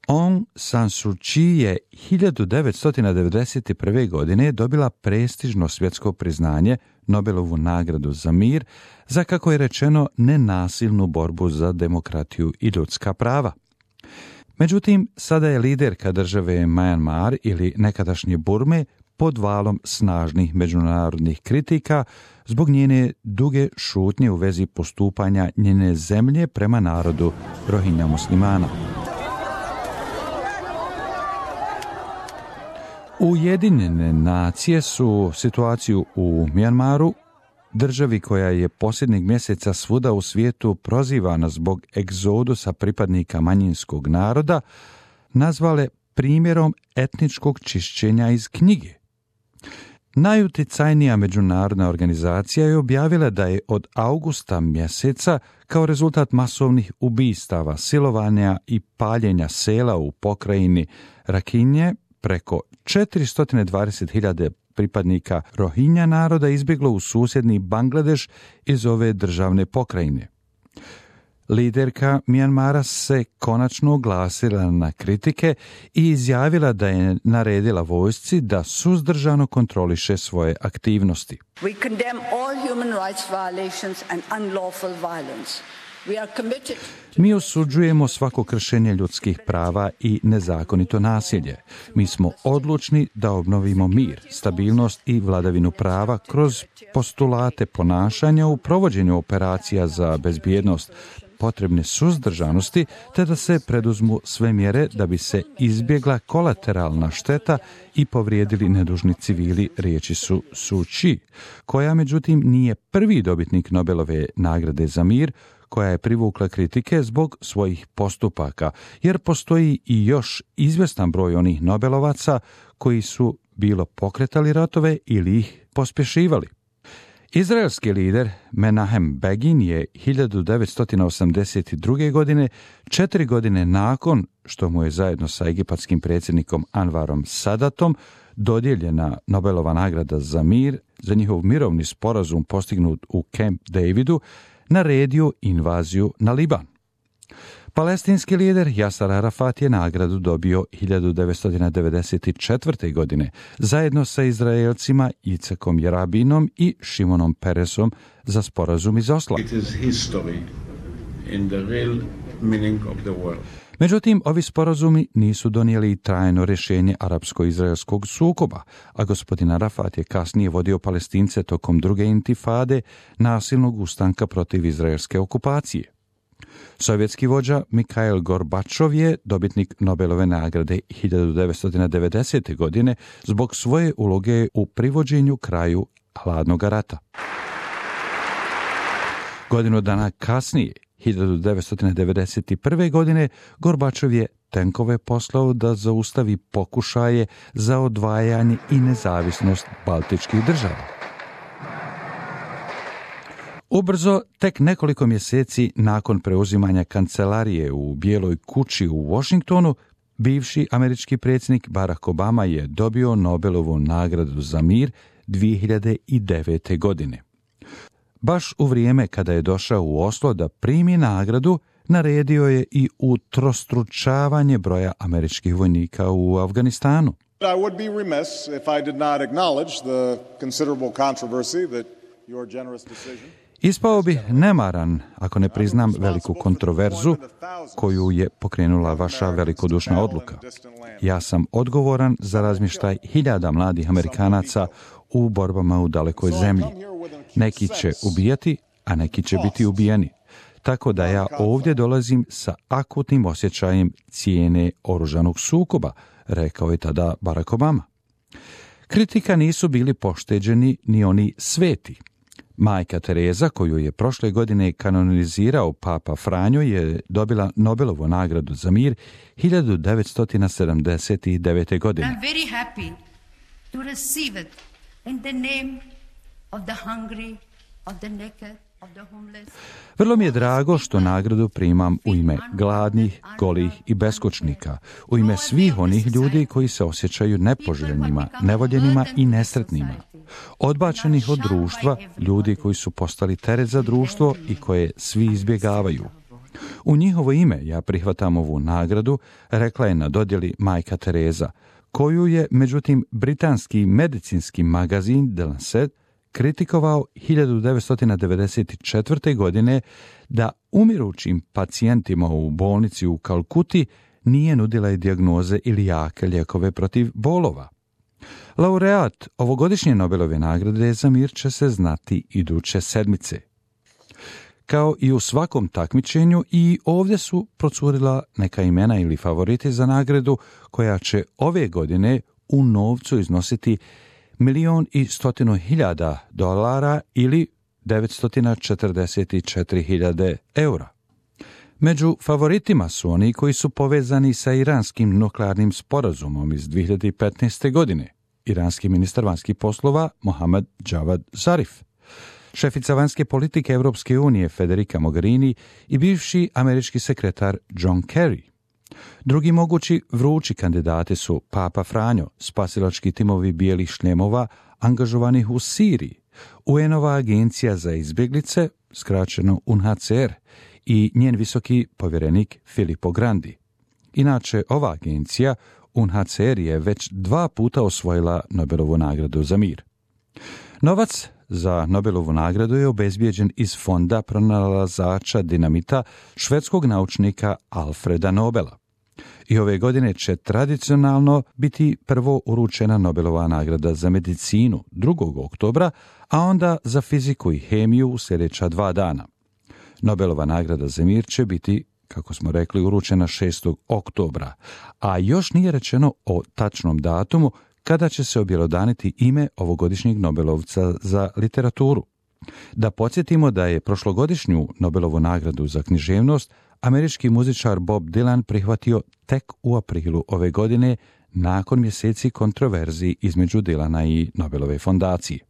Aung San Suu Kyi je 1991. godine dobila prestižno svjetsko priznanje, Nobelovu nagradu za mir, za, kako je rečeno, nenasilnu borbu za demokratiju i ljudska prava. Međutim, sada je liderka države Myanmar ili nekadašnje Burme pod valom snažnih međunarodnih kritika zbog njene duge šutnje u vezi postupanja njene zemlje prema narodu Rohingya muslimana. Ujedinjene nacije su situaciju u Myanmaru, državi koja je posljednjeg mjeseca svuda u svijetu prozivana zbog egzodusa pripadnika manjinskog naroda, nazvale primjerom etničkog čišćenja iz knjige. Najuticajnija međunarodna organizacija je objavila da je od augusta mjeseca kao rezultat masovnih ubistava, silovanja i paljenja sela u pokrajini Rakhine preko 420.000 pripadnika Rohingya naroda izbjeglo u susjedni Bangladeš iz ove državne pokrajine. Liderka Myanmara se konačno oglasila na kritike i izjavila da je naredila vojsci da suzdržano kontroliše svoje aktivnosti. We condemn all human rights violations and unlawful violence. We are committed. Mi osuđujemo svako kršenje ljudskih prava i nezakonito nasilje. Mi smo odlučni da obnovimo mir, stabilnost i vladavinu prava kroz postulate ponašanja u provođenju operacija za bezbjednost, potrebne suzdržanosti, te da se preduzmu sve mjere da bi se izbjegla kolateralna šteta i povrijedili nedužni civili, riječi su Suu Kyi, koja međutim nije prvi dobitnik Nobelove nagrade za mir, koja je privukla kritike zbog svojih postupaka, jer postoji i još izvjestan broj onih Nobelovaca koji su bilo pokretali ratove ili ih pospješivali. Izraelski lider Menahem Begin je 1982. godine, 4 godine nakon što mu je zajedno sa egipatskim predsjednikom Anvarom Sadatom dodijeljena Nobelova nagrada za mir za njihov mirovni sporazum postignut u Camp Davidu, naredio invaziju na Liban. Palestinski lider Yasser Arafat je nagradu dobio 1994. godine zajedno sa Izraelcima Yitzhakom Rabinom i Šimonom Peresom za sporazum iz Osla. Međutim, ovi sporazumi nisu donijeli trajno rješenje arapsko-izraelskog sukoba, a gospodin Arafat je kasnije vodio Palestince tokom druge intifade, nasilnog ustanka protiv izraelske okupacije. Sovjetski vođa Mikhail Gorbačov je dobitnik Nobelove nagrade 1990. godine zbog svoje uloge u privođenju kraju hladnog rata. Godinu dana kasnije, 1991. godine, Gorbačov je tenkove poslao da zaustavi pokušaje za odvajanje i nezavisnost baltičkih država. Ubrzo, tek nekoliko mjeseci nakon preuzimanja kancelarije u Bijeloj kući u Washingtonu, bivši američki predsjednik Barack Obama je dobio Nobelovu nagradu za mir 2009. godine. Baš u vrijeme kada je došao u Oslo da primi nagradu, naredio je i utrostručavanje broja američkih vojnika u Afganistanu. I would be remiss if I did not acknowledge the considerable controversy that your generous decision. Ispao bi nemaran ako ne priznam veliku kontroverzu koju je pokrenula vaša velikodušna odluka. Ja sam odgovoran za razmještaj hiljada mladih Amerikanaca u borbama u dalekoj zemlji. Neki će ubijati, a neki će biti ubijeni. Tako da ja ovdje dolazim sa akutnim osjećajem cijene oružanog sukoba, rekao je tada Barack Obama. Kritika nisu bili pošteđeni ni oni sveti. Majka Tereza, koju je prošle godine kanonizirao Papa Franjo, je dobila Nobelovu nagradu za mir 1979. godine. I'm very happy to receive it in the name of the hungry, of the naked, of the homeless. Vrlo mi je drago što nagradu primam u ime gladnih, golih i beskućnika, u ime svih onih ljudi koji se osjećaju nepoželjnima, nevoljenima i nesretnima, odbačenih od društva, ljudi koji su postali teret za društvo i koje svi izbjegavaju. U njihovo ime ja prihvatam ovu nagradu, rekla je na dodjeli majka Tereza, koju je, međutim, britanski medicinski magazin The Lancet kritikovao 1994. godine da umirućim pacijentima u bolnici u Kalkuti nije nudila i dijagnoze ili jake lijekove protiv bolova. Laureat ovogodišnje Nobelove nagrade za mir će se znati iduće sedmice. Kao i u svakom takmičenju, i ovdje su procurila neka imena ili favoriti za nagradu, koja će ove godine u novcu iznositi $1.100.000 ili 944.000 eura. Među favoritima su oni koji su povezani sa iranskim nuklearnim sporazumom iz 2015. godine. Iranski ministar vanjskih poslova Mohammad Javad Zarif, šefica vanjske politike Europske unije Federica Mogherini i bivši američki sekretar John Kerry. Drugi mogući vrući kandidati su Papa Franjo, spasilački timovi bijelih šljemova angažovanih u Siriji, UN-ova agencija za izbjeglice, skraćeno UNHCR, i njen visoki povjerenik Filippo Grandi. Inače, ova agencija, UNHCR, je već 2 puta osvojila Nobelovu nagradu za mir. Novac za Nobelovu nagradu je obezbijeđen iz fonda pronalazača dinamita švedskog naučnika Alfreda Nobela. I ove godine će tradicionalno biti prvo uručena Nobelova nagrada za medicinu 2. oktobra, a onda za fiziku i hemiju u sljedeća 2 dana. Nobelova nagrada za mir će biti, kako smo rekli, uručena 6. oktobra, a još nije rečeno o tačnom datumu kada će se objelodaniti ime ovogodišnjeg Nobelovca za literaturu. Da podsjetimo da je prošlogodišnju Nobelovu nagradu za književnost američki muzičar Bob Dylan prihvatio tek u aprilu ove godine, nakon mjeseci kontroverziji između Dylana i Nobelove fondacije.